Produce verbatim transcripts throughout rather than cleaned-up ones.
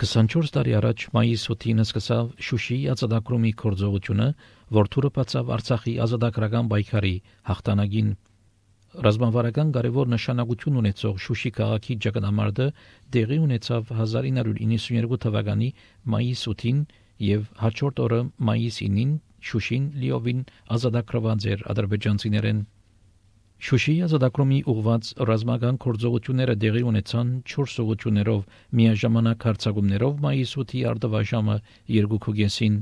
քսանչորս տարի առաջ մայիս ութին սկսավ Շուշիի ազատագրումի գործողությունը, որ թուրը բացավ Արցախի ազատագրական պայքարի հաղթանակին։ Ռազմավարական կարևոր նշանակություն ունեցող Շուշի քաղաքի ճակատամարտը տեղի ունեցավ հազար ինը հարյուր իննսունյերկու թվականի մայիս ութին եւ հաջորդ օրը մայիս ինին Շուշին լիովին ազատագրված էր ադրբեջանցիներեն։ Շուշիի ազատագրումի ուղղված ռազմական գործողությունները տեղի ունեցան չորս ուղղություններով միաժամանակ հարձակումներով մայիս ութի արդավաժամը երկու կեսին։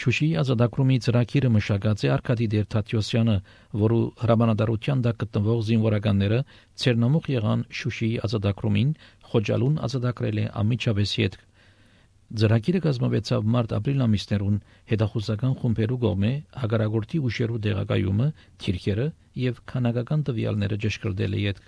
Շուշիի ազատագրումի ծրագիրը մշակած է Արկադի Դերթատյոսյանը, որը հրամանատարության տակ գտնվող զինվորականները ցերնամուխ եղան Շուշիի ազատագրումին, Խոջալուն ազատագրել է ամիջապես յետ։ Ծրագիրը կազմվեցավ մարտ-ապրիլ ամիսներուն հետախուզական խումբերու կողմէ հագարագործի ուժերու դեղակայումը, թիրքերը եւ քանակական տվյալները ճշգրտել է յետ։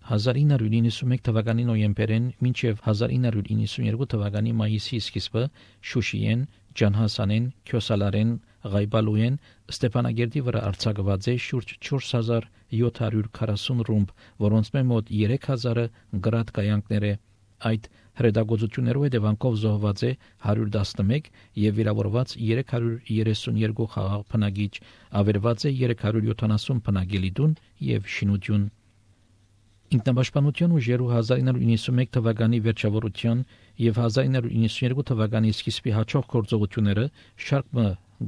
հազար ինը հարյուր իննսունմեկ թվականի նոյեմբերին մինչև հազար ինը հարյուր իննսունյերկու թվականի մայիսի սկիզբը Շուշիեն, Ջանհասանեն, Քյոսալարեն, Ղայբալուեն, Ստեփանագերդի վրա արձակված է շուրջ չորս հազար յոթ հարյուր քառասուն ռումբ, որոնց մոտ երեք հազարը գրադ կայանքներ է։ Այդ հրետակոծություններով հետևանքով զոհված է հարյուր տասնմեկ եւ վիրավորված երեք հարյուր երեսունյերկու խաղաղ բնակիչ, ավերված է երեք հարյուր յոթանասուն բնակելի տուն եւ շինություն։ Ինքնապաշտպանության ուժերու հազար ինը հարյուր իննսունմեկ թվականի վերջավորության եւ հազար ինը հարյուր իննսունյերկու թվականի սկիզբի հաջող գործողությունները շարք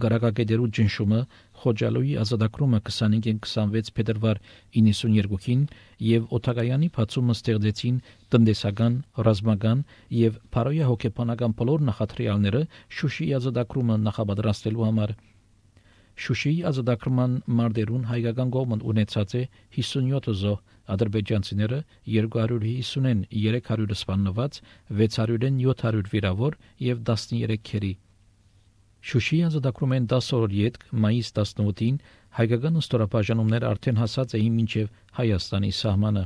Գարակագետերու ջնշումը, Խոջալույի ազատագրումը քսանհինգ քսանվեց փետրվար իննսունյերկուին եւ օթագայանի բացումը ստեղծեցին տնտեսական, ռազմական եւ փարոյա հոգեբանական բոլոր նախադրյալները Շուշիի ազատագրումը նախապատրաստելու համար։ Շուշիի ազատագրման մարտերուն հայկական կողմը ունեցած է հիսունյոթ զոհ, ադրբեջանցիները երկու հարյուր հիսունեն երեք հարյուր սպանված, վեց հարյուրեն յոթ հարյուր վիրավոր եւ տասներեք քերի։ Շուշիի ազատագրումեն դասը օր յետք մայիս տասնութին հայկական ստորաբաժանումները արդեն հասած էին մինչև Հայաստանի սահմանը։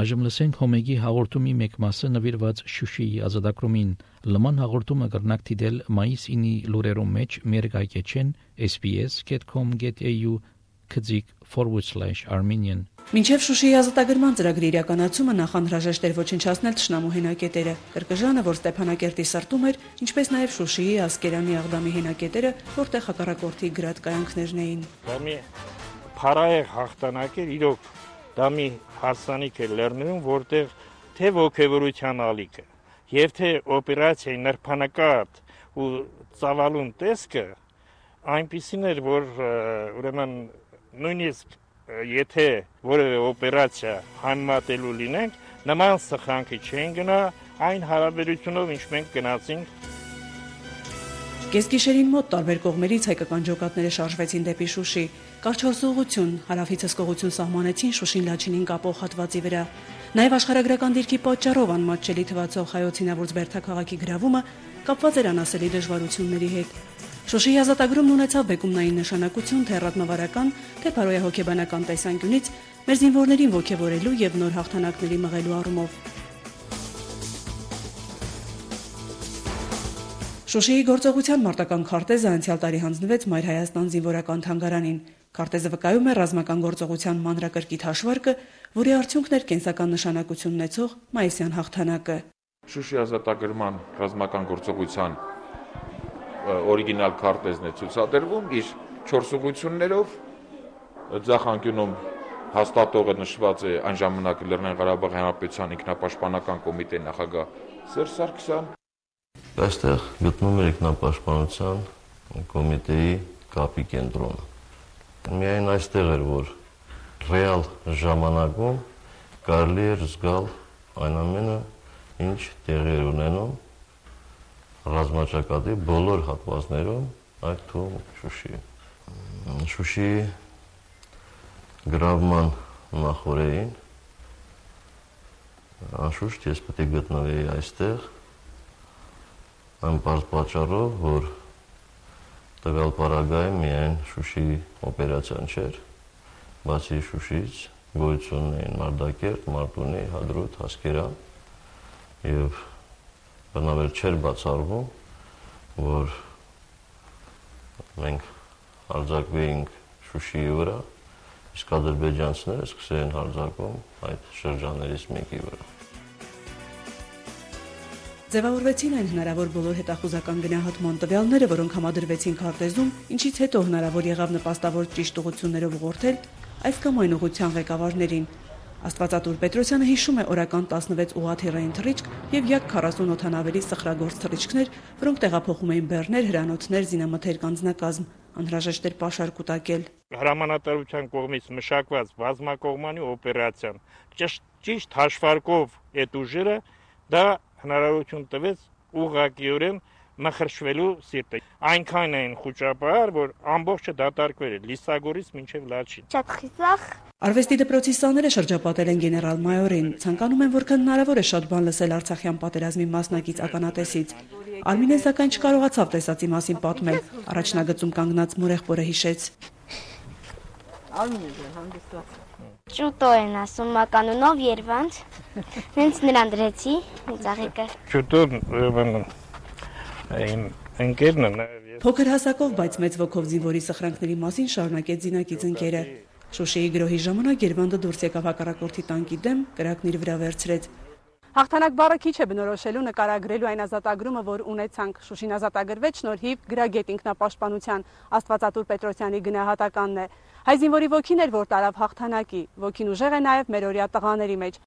Այժմ լսենք Հոմեգի հաղորդումի մեկ մասը նվիրված Շուշիի ազատագրումին։ Լման հաղորդումը կրնակ դիտել մայիս ինի լուրերում մեջ մեր գայքեչեն էս բի էս դոտ կոմ դոտ էյ յու քծիկ forward slash armenian Մինչև Շուշիի ազատագրման ծրագրի իրականացումը նախանհրաժեշտ էր ոչնչացնել թշնամու հենակետերը։ Կրկժանը, որ Ստեփանակերտի սրտում էր, ինչպես նաև Շուշիի Ասկերանի Աղդամի հենակետերը, որտեղ հակառակորդի գրադ կայանքներն էին։ Դա մի փարայեղ հաղթանակ էր, իրոք դա մի հարսանիք է լեռներում, որտեղ թե ոգևորության ալիքը եւ թե օպերացիայի նրբանակատ ու ծավալուն տեսքը այնպիսին էր, որ ուրեմն նույնիսկ եթե որևէ օպերացիա համեմատելու լինենք, նման սխրանքի չեն գնա այն հարաբերությունով, ինչ մենք գնացինք։ Կեսգիշերին մոտ տարբեր կողմերից հայկական ջոկատները շարժվեցին դեպի Շուշի։ Կարճ ուղղություն, հարավից հսկողություն սահմանեցին Շուշին Լաչինին կապող հատվածի վրա։ Նաև աշխարհագրական դիրքի պատճառով անմատչելի թվացող հայոց հինավուրց Բերդաքաղաքի գրավումը կապված էր անասելի դժվարությունների հետ։ Շուշիի ազատագրումն ունեցավ բեկումնային նշանակություն թե ռազմավարական, թե փարոյահոգեբանական տեսանկյունից մեր զինվորներին ոգևորելու եւ նոր հաղթանակների մղելու առումով։ Շուշիի գործողության մարտական քարտեզը անցյալ տարի հանձնվեց Մայր Հայաստան զինվորական թանգարանին։ Քարտեզը վկայում է ռազմական գործողության մանրակրկիտ հաշվարկը, որի արդյունքն էր կենսական նշանակություն ունեցող մայիսյան հաղթանակը։ Շուշիի ազատագրման ռազմական գործողության օրիգինալ քարտեզն է ցուցադրվում իր չորս ուղղություններով, ձախ անկյունում հաստատողը նշված է այն ժամանակ Լեռնային Ղարաբաղի Հանրապետության ինքնապաշտպանական կոմիտեի նախագահ Սերժ Սարգսյան։ Այստեղ գտնվում է ինքնապաշտպանության կոմիտեի կապի կենտրոնը։ Միայն այստեղ էր, որ ռեալ ժամանակում կարելի էր զգալ այն ամենը, ինչ տեղի էր ունենում ռազմաճակատի բոլոր հատվածներում, այդ թվում Շուշի։ Շուշիի գրավման նախօրեին անշուշտ ես պետք է գտնվեի այստեղ այն պարզ պատճառով, որ տվյալ պարագայում միայն Շուշիի օպերացիան չէր, բացի Շուշիից գոյություն ունեին Մարտակերտ, Մարտունի, Հադրութ, Ասկերան եւ բնավ չէր բացառվում, որ մենք հարձակվեինք Շուշիի վրա, իսկ ադրբեջանցիները սկսել են հարձակում այդ շրջաններից մեկի վրա։ Ձևավորվեցին այն հնարավոր բոլոր հետախուզական գնահատման տվյալները, որոնք համադրվեցին քարտեզում, ինչից հետո հնարավոր եղավ նպաստավոր ճիշտ ուղղություններով ուղղորդել այս կամ այն ուղղության ղեկավարներին։ Աստվածատուր Պետրոսյանը հիշում է օրական տասնվեց ուղղաթիռային թռիչք եւ յակ քառասուն օդանավերի սխրագործ թռիչքներ, որոնք տեղափոխում էին բեռներ, հրանոթներ, զինամթերք անձնակազմ, անհրաժեշտ էր պաշար կուտակել։ Հրամանատարության կողմից մշակված բազմակողմանի օպերացիան ճիշտ հաշվարկով այդ ուժերը դա հնարավորություն տվեց ուղղակիորեն մխրշվելու սիրտը։ Այնքան էին խոճապահար, որ ամբողջը դատարկվել է Լիսագորից մինչև Լաչին։ Շատ խիզախ։ Արվեստի դպրոցի սաները շրջապատել են գեներալ մայորին, ցանկանում են որքան հնարավոր է շատ բան լսել Արցախյան պատերազմի մասնակից ականատեսից։ Արմինեն սակայն չկարողացավ տեսածի մասին պատմել, առաջնագծում կանգնած մորեղբորը հիշեց։ Ճուտո են ասում մականունով Երևանց, հենց նրան դրեցի ծաղիկը։ Ճուտոն իմ ընկերն է։ Փոքր հասակով, բայց մեծ ոգով զինվորի սխրանքների մասին շարունակեց զինակից ընկերը։ Շուշիի գրոհի ժամանակ Երվանդը դուրս եկավ հակառակորդի տանկի դեմ, կրակն իր վրա վերցրեց։ Հաղթանակ բառը քիչ է բնորոշելու նկարագրելու այն ազատագրումը, որ ունեցանք։ Շուշին ազատագրվեց շնորհիվ գրագետ ինքնապաշտպանության Աստվածատուր Պետրոսյանի գնահատականն է։ Հայ զինվորի ոգին էր, որ տարավ հաղթանակի, ոգին ուժեղ է նաև մերօրյա տղաների մեջ։